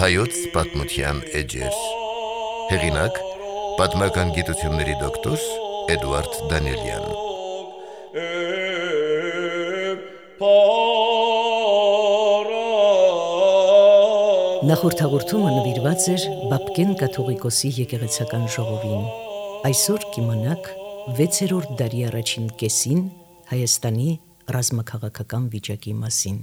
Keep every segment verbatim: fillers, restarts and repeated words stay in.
Հայոց պատմության էջեր։ Հեղինակ՝ պատմական գիտությունների դոկտոր Էդուարդ Դանիելյան։ Նախորդ հաղորդումը նվիրված էր Բաբկեն կաթողիկոսի եկեղեցական ժողովին։ Այսօր կիմանաք վեցերորդ դարի առաջին կեսին Հայաստանի ռազմաքաղաքական վիճակի մասին։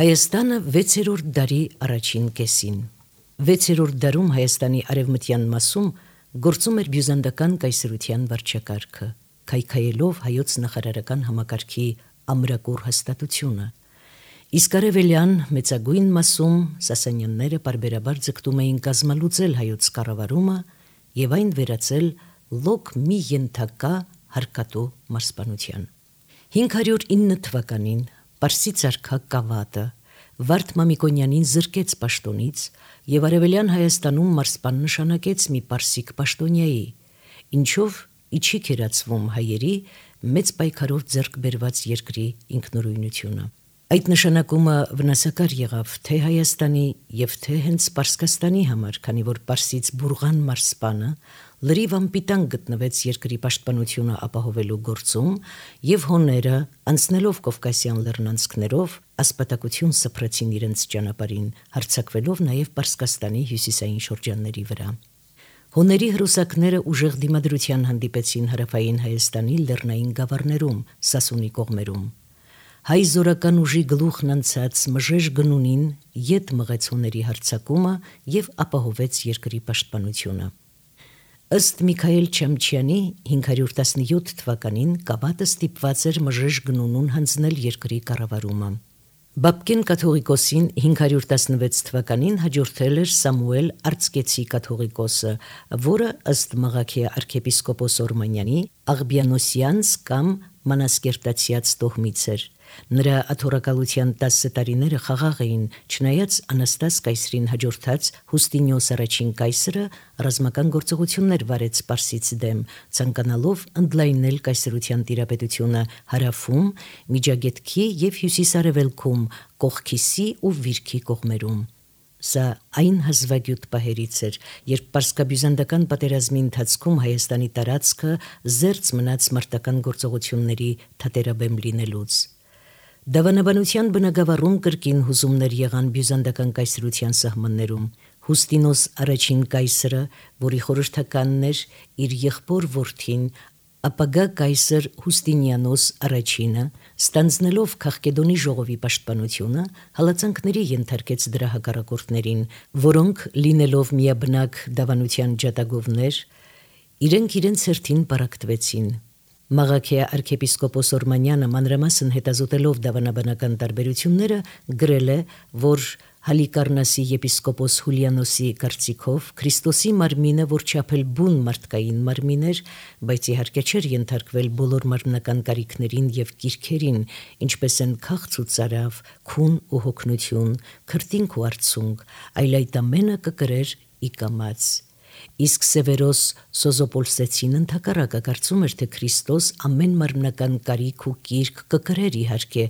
Հայաստանը վեցերորդ դարի առաջին կեսին։ Վեցերորդ դարում Հայաստանի արևմտյան մասում գործում էր բյուզանդական կայսրության վարչակարգը, քայքայելով հայոց նախարարական համակարգի ամրակուր հաստատությունը։ Իսկ արևելյան մեծագույն մասում Սասանյանները պարբերաբար ձգտում էին կազմալուծել հայոց կառավարումը եւ այն վերածել լոկ մի ենթակա հարկատու մարզպանության։ հինգ հարյուր ինը թվականին Պարսից արքա Կավատը Վարդ Մամիկոնյանին զրկեց պաշտոնից եւ արևելյան Հայաստանում մարզպան նշանակեց մի պարսիկ պաշտոնյայի, ինչով իջի կերածվում հայերի մեծ պայքարով ձեռք բերված երկրի ինքնուրույնությունը։ Այդ նշանակումը վնասակար եղավ թե Հայաստանի եւ թե հենց Պարսկաստանի համար, քանի որ Պարսից Բուրղան մարզպանը լրիվ անպիտան գտնվեց երկրի պաշտպանությունը ապահովելու գործում եւ հոները, անցնելով Կովկասյան լեռնանցքներով, ասպատակություն սփռեցին իրենց ճանապարհին, հարձակվելով նաեւ Պարսկաստանի հյուսիսային շրջանների վրա։ Հոների հրոսակները ուժեղ դիմադրության հանդիպեցին հարավային Հայաստանի լեռնային գավառներում, Սասունի կողմերում։ Հայ զորական ուժի գլուխն անցած Մժեշ գնունին ետ մղեց հոների հարձակումը եւ ապահովեց երկրի պաշտպանությունը։ Ըստ Միքայել Չամչյանի հինգ հարյուր տասնյոթ թվականին Կավատը ստիպված էր Մժեշ գնունուն հանձնել երկրի կառավարումը։ Բաբկեն կաթողիկոսին հինգ հարյուր տասնվեց թվականին հաջորդել էր Սամուել Արցկեցի կաթողիկոսը, որը ըստ Մաղաքիա arczepiskopos Օրմանյանի Աղբյանոսյանց կամ Մանասկերտացյաց տոհմից էր։ Նրա աթոռակալության տասը տարիները խաղաղ էին, չնայած Անաստաս կայսրին հաջորդած Հուստինիոս առաջին կայսրը ռազմական գործողություններ վարեց Պարսից դեմ, ցանկանալով ընդլայնել կայսրության տիրապետությունը հարավում, Միջագետքի եւ հյուսիսարևելքում, Կողքիսի ու Վիրքի կողմերում։ Սա այն հազվագյուտ պահերից էր, երբ Պարսկաբյուզանդական պատերազմի ընթացքում Հայաստանի տարածքը զերծ մնաց մարտական գործողությունների թատերաբեմ լինելուց։ Դավանաբանության բնագավառում կրկին հուզումներ եղան բյուզանդական կայսրության սահմաններում։ Հուստինոս առաջին կայսրը, որի խորհրդականն էր իր եղբոր որդին, ապագա կայսր Հուստինիանոս առաջինը, ստանձնելով Քաղկեդոնի ժողովի պաշտպանությունը, հալածանքների ենթարկեց դրա հակառակորդներին, որոնք լինելով միաբնակ դավանության ջատագովներ, իրենք իրենց հերթին պարակտվեցին։ Մաղաքիա arczepiskopos Օրմանյանը մանրամասն հետազոտելով դավանաբանական տարբերությունները գրել է, որ Հալիկարնասի եպիսկոպոս Հուլիանոսի կարծիքով Քրիստոսի մարմինը որչափել բուն մարդկային մարմին էր, բայց իհարկե չէր ենթարկվել բոլոր մարմնական կարիքներին եւ կիրքերին, ինչպես են քաղց ու ծարավ, քուն ու հոգնություն, քրտինք ու արցունք, այլ այդ ամենը կկրեր ի կամաց։ Իսկ Սևերոս Սոզոպոլսեցին ընդհակառակը կարծում էր, թե Քրիստոս ամեն մարմնական կարիք ու կիրք կկրեր իհարկե,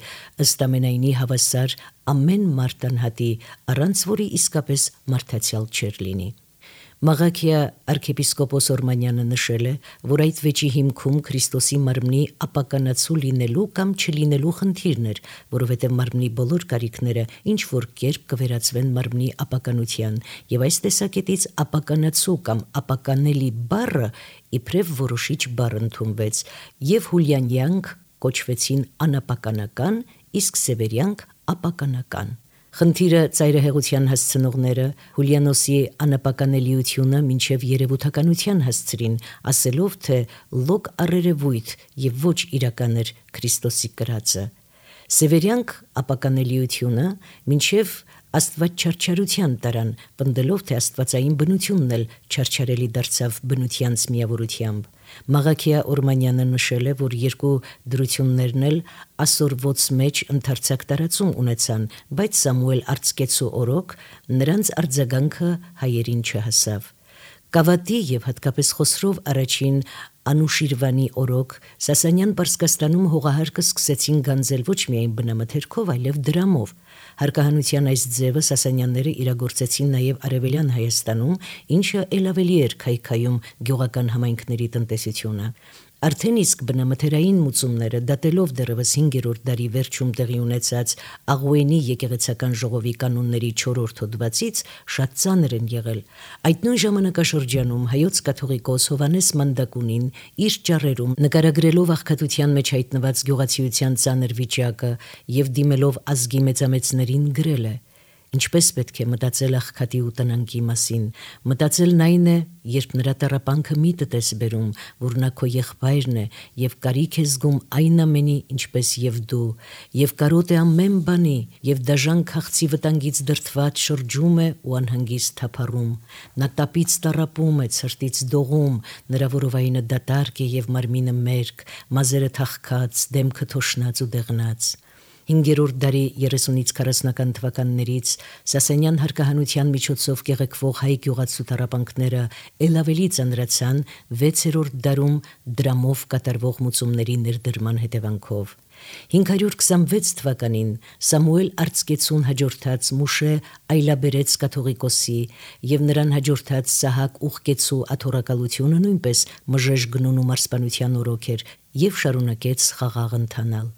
ըստ ամենայնի հավասար ամեն մարդ անհատի, առանց որի իսկապես մարդացյալ չէր լինի։ Մաղաքիա arczepiskopos Օրմանյանը նշել է, որ այդ վեճի հիմքում Քրիստոսի մարմնի ապականացու լինելու կամ չլինելու խնդիրն էր, որովհետև մարմնի բոլոր կարիքները ինչ որ կերպ կվերածվեն մարմնի ապականության, եւ այս տեսակետից ապականացու կամ ապականելի բառը իբրև որոշիչ բառ ընդունվեց, եւ հուլյանյանք կոչվեցին անապականական, իսկ սևերյանք ապականական։ Խնդիրը ծայրահեղության հասցնողները Հուլիանոսի անապականելիությունը մինչև երևութականության հասցրին, ասելով, թե լոկ առերևույթ եւ ոչ իրական էր Քրիստոսի կրածը։ Սևերյանք ապականելիությունը մինչև աստվածչարչարության տարան, պնդելով, թե աստվածային բնությունն էլ չարչարելի դարձավ բնությանց միավորությամբ։ Մաղաքիա Օրմանյանը նշել է, որ երկու դրություններն էլ ասորվոց մեջ ընդարձակ տարածում ունեցան, բայց Սամուել Արցկեցու օրոք նրանց արձագանքը հայերին չհասավ։ Կավատի եւ հատկապես Խոսրով առաջին Անուշիրվանի օրոք Սասանյան Պարսկաստանում հողահարկը սկսեցին գանձել ոչ միայն բնամթերքով, այլև դրամով։ Հարկահանության այս ձևը Սասանյանները իրագործեցին նաև Արևելյան Հայաստանում, ինչը ել ավելի էր քայքայում գյուղական համայնքների տնտեսությունը։ Արդեն իսկ բնամթերային մուծումները, դատելով դեռևս հինգերորդ դարի վերջում տեղի ունեցած Աղուենի եկեղեցական ժողովի կանոնների չորրորդ հոդվածից, շատ ծանր են եղել։ Այդ նույն ժամանակաշրջանում հայոց կաթողիկոս Հովհաննես Մանդակունին իր ճառերում նկարագրելով աղքատության մեջ հայտնված գյուղացիության ծանր վիճակը եւ դիմելով ազգի մեծամեծներին գրել է. Ինչպես պետք է մտածել աղքատի ու տնանքի մասին, մտածելն այն է, երբ նրա տառապանքը միտդ ես բերում, որ նա քո եղբայրն է եւ կարիք է զգում այն ամենի, ինչպես եւ դու, եւ կարոտ է ամեն բանի, եւ դաժան քաղցի վտանգից դրդված շրջում է ու անհանգիստ թափառում։ Նա տապից տառապում է, ցրտից դողում, նրա որովայինը դատարկ է եւ մարմինը մերկ, մազերը թախքած, դեմքը թոշնած ու դեղնած։ Հինգերորդ դարի երեսունից քառասունական թվականներից Սասանյան հարկահանության միջոցով կեղեքվող հայ գյուղացու տառապանքները ել ավելի ծանրացան վեցերորդ դարում դրամով կատարվող մուծումների ներդրման հետևանքով։ հինգ հարյուր քսանվեց թվականին Սամուել Արծկեցուն հաջորդած Մուշե Այլաբերեց կաթողիկոսի եւ նրան հաջորդած Սահակ Ուղկեցու աթոռակալությունը նույնպես մժեշ գնուն ու մարսպանության օրոք էր եւ շարունակեց խաղաղ ընթանալ։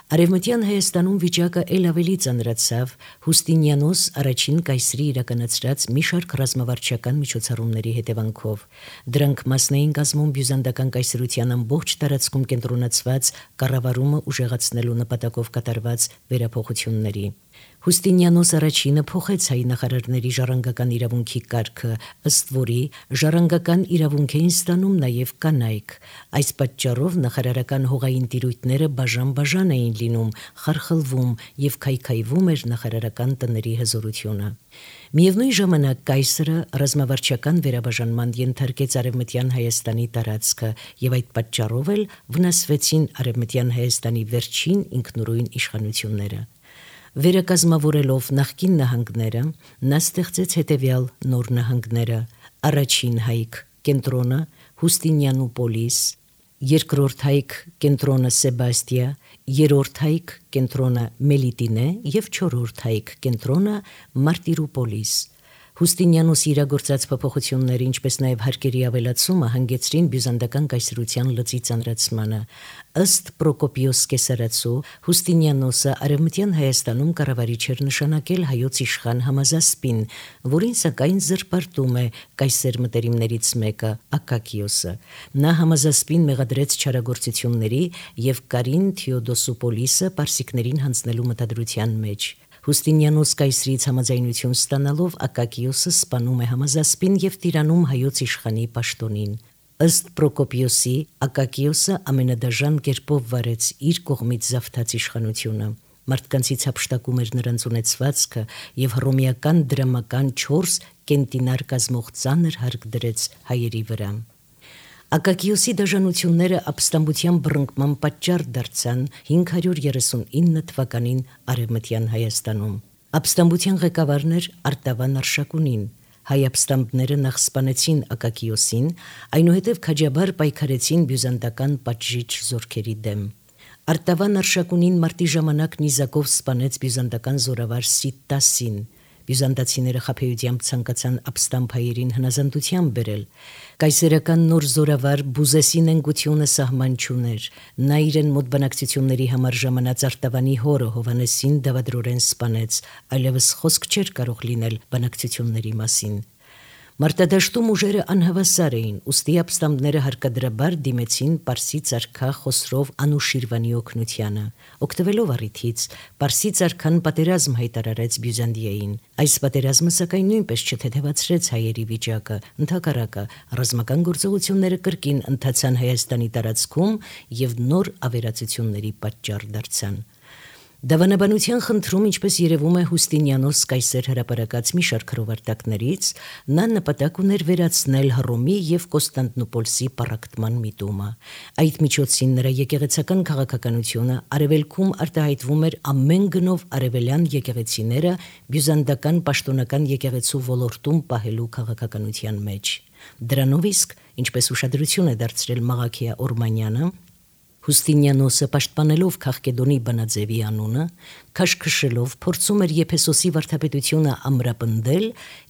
Արևմտյան Հայաստանում վիճակը ել ավելի ծանրացավ Հուստինիանոս առաջին կայսրի իրականացրած մի շարք ռազմավարչական միջոցառումների հետևանքով։ Դրանք մասն էին կազմում բյուզանդական կայսրության ամբողջ տարածքում կենտրոնացված կառավարումը ուժեղացնելու նպատակով կատարված վերափոխությունների։ Հուստինիանոս առաջինը փոխեց հայ նախարարների ժառանգական իրավունքի կարգը, ըստ որի ժառանգական իրավունք էին ստանում նաև կանայք։ Այս պատճառով նախարարական հողային տիրույթները բաժան-բաժան էին լինում, խարխլվում եւ քայքայվում էր նախարարական տների հզորությունը։ Միևնույն ժամանակ կայսրը ռազմավարչական վերաբաժանման ենթարկեց Արևմտյան Հայաստանի տարածքը եւ այդ պատճառով էլ վնասվեցին Արևմտյան Հայաստանի վերջին ինքնուրույն իշխանությունները։ Վերակազմավորելով նախկին նահանգները, նա ստեղծեց հետևյալ նոր նահանգները. առաջին հայք կենտրոնը Հուստինիանոպոլիս, երկրորդ հայք կենտրոնը Սեբաստիա, երրորդ հայք կենտրոնը Մելիտինե եւ չորրորդ հայք կենտրոնը Մարտիրոպոլիս։ Հուստինիանոսի իրագործած փոփոխությունները, ինչպես նաև հարկերի ավելացումը հանգեցրին բյուզանդական կայսրության լծի ծանրացմանը։ Ըստ Պրոկոպիոս Կեսարացու, Հուստինիանոսը Արևմտյան Հայաստանում կառավարիչ էր նշանակել հայոց իշխան Համազասպին, որին սակայն զրպարտում է կայսեր մտերիմներից մեկը Ակակիոսը։ Նա Համազասպին մեղադրեց չարագործությունների եւ Կարին Թեոդոսոպոլիսը պարսիկներին հանձնելու մտադրության մեջ։ Հուստինիանոս կայսրից համաձայնություն ստանալով Ակակիոսը սպանում է Համազասպին եւ տիրանում հայոց իշխանի պաշտոնին։ Ըստ Պրոկոպիոսի, Ակակիոսը ամենադաժան կերպով վարեց իր կողմից զավթած իշխանությունը։ Մարդկանցից հափշտակում էր նրանց ունեցվածքը եւ հռոմեական դրամական չորս կենտինար կազմող ծանր հարկ դրեց հայերի վրա։ Ակակիոսի դաժանությունները ապստամբության բռնկման պատճառ դարձան հինգ հարյուր երեսունինը թվականին Արևմտյան Հայաստանում։ Ապստամբության ղեկավարն էր Արտավան Արշակունին։ Հայ ապստամբները նախ սպանեցին Ակակիոսին, այնուհետև քաջաբար պայքարեցին բյուզանդական պատժիչ զորքերի դեմ։ Արտավան Արշակունին մարտի ժամանակ նիզակով սպանեց բյուզանդական զորավար Սիտտասին։ Բյուզանդացիները խաբեությամբ ցանկացան ապստամբ հայերին հնազանդության բերել։ Կայսերական նոր զորավար Բուզեսի նենգությունը սահման չուներ։ Նա իրեն մոտ բանակցությունների համար ժամանած Արտավանի հորը Հովհաննեսին դավադրորեն սպանեց, այլևս խոսք չէր կարող լինել բանակցությունների մասին։ Մարտադաշտում ուժերը անհավասար էին, ուստի ապստամբները հարկադրաբար դիմեցին Պարսից արքա Խոսրով Անուշիրվանի օգնությանը։ Օգտվելով առիթից, Պարսից արքան պատերազմ հայտարարեց Բյուզանդիային։ Այս պատերազմը սակայն նույնպես չթեթևացրեց հայերի վիճակը, ընդհակառակը ռազմական գործողությունները կրկին ընթացան Հայաստանի տարածքում եւ նոր ավերածությունների պատճառ դարձան։ Դավանաբանության խնդրում, ինչպես երևում է Հուստինիանոս կայսեր հրապարակած մի շարք հրովարտակներից, նա նպատակ ուներ վերացնել Հռոմի եւ Կոստանդնուպոլսի պառակտման միտումը։ Այդ միջոցին նրա եկեղեցական քաղաքականությունը արևելքում արտահայտվում էր ամեն գնով արևելյան եկեղեցիները բյուզանդական պաշտոնական եկեղեցու ոլորտում պահելու քաղաքականության մեջ։ Դրանով իսկ, ինչպես ուշադրություն է դարձրել Մաղաքիա Օրմանյանը, Հուստինիանոսը պաշտպանելով Քաղկեդոնի բանաձևի անունը, քաշքշելով փորձում էր Եփեսոսի վարդապետությունը ամրապնդել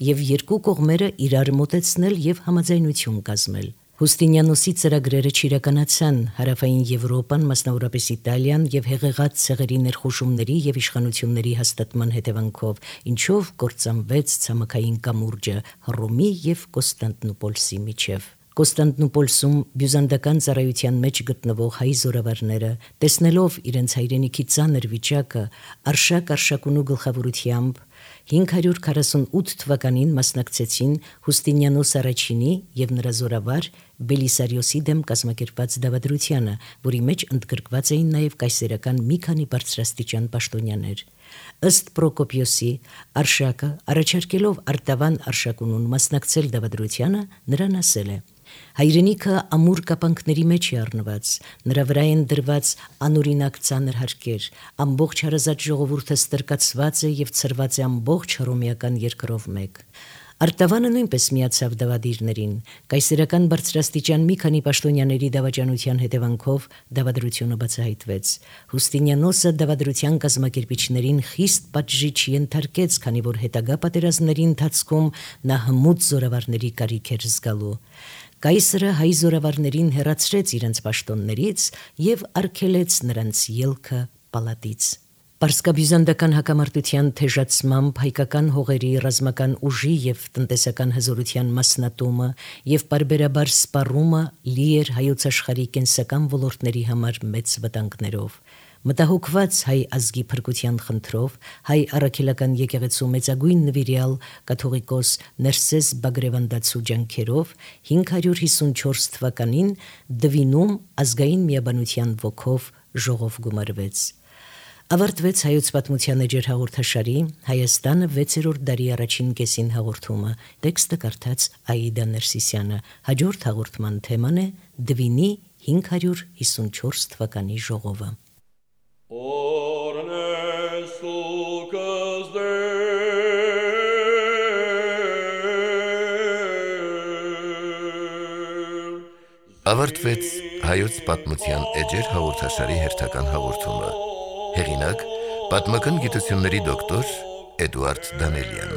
եւ երկու կողմերը իրար մոտեցնել եւ համաձայնություն կազմել։ Հուստինիանոսի ծրագրերը չիրականացան հարավային Եվրոպան, մասնավորապես Իտալիան եւ հեղեղած ցեղերի ներխուժումների եւ իշխանությունների հաստատման հետևանքով, ինչով կործանվեց ցամաքային կամուրջը Հռոմի եւ Կոստանդնուպոլսի միջև։ Կոստանդնուպոլսում բյուզանդական ծառայության մեջ գտնվող հայ զորավարները, տեսնելով իրենց հայրենիքի ծանր վիճակը, Արշակ Արշակունու գլխավորությամբ հինգ հարյուր քառասունութ թվականին մասնակցեցին Հուստինիանոս առաջինի եւ նրա զորավար Բելիսարիոսի դեմ կազմակերպված դավադրությանը, որի մեջ ընդգրկված էին նաեւ կայսերական մի քանի բարձրաստիճան պաշտոնյաներ։ Ըստ Պրոկոպիոսի, Արշակը առաջարկելով Արտավան Արշակունուն մասնակցել դավադրությանը, նրան ասել է. Հայրենիքը ամուր կապանքների մեջ է առնված, նրա վրա են դրված անօրինակ ծանր հարկեր, ամբողջ հարազատ ժողովուրդը ստրկացված է եւ ցրված է ամբողջ հռոմեական երկրով մեկ։ Արտավանը նույնպես միացավ դավադիրներին, կայսերական բարձրաստիճան մի քանի պաշտոնյաների դավաճանության հետևանքով դավադրությունը բացահայտվեց։ Հուստինիանոսը դավադրության կազմակերպիչներին խիստ պատժիչ ենթարկեց, քանի որ հետագա պատերազմների ընթացքում նա հմուտ զորավարների կարիք էր զգալու։ Կայսրը հայ զորավարներին հեռացրեց իրենց պաշտոններից եւ արգելեց նրանց ելքը պալատից։ Պարսկաբյուզանդական հակամարտության թեժացմամբ հայկական հողերի ռազմական ուժի եւ տնտեսական հզորության մասնատումը եւ պարբերաբար սպառումը լի էր հայոց աշխարհի կենսական ոլորտների համար մեծ վտանգներով։ Մտահոգված հայ ազգի փրկության խնդրով հայ առաքելական եկեղեցու մեծագույն նվիրյալ կաթողիկոս Ներսես Բագրևանդացու ջանքերով հինգ հարյուր հիսունչորս թվականին Դվինում ազգային միաբանության ոգով ժողով գումարվեց։ Ավարտվեց հայոց պատմության էջեր հաղորդաշարի Հայաստանը վեցերորդ դարի առաջին կեսին հաղորդումը։ Տեքստը կարդաց Աիդա Ներսիսյանը։ Հաջորդ հաղորդման թեման է Դվինի հինգ հարյուր հիսունչորս թվականի ժողովը։ Ավարտվեց հայոց պատմության էջեր հաղորդաշարի հերթական հաղորդումը։ Հեղինակ՝ պատմական գիտությունների դոկտոր Էդուարդ Դանելյան։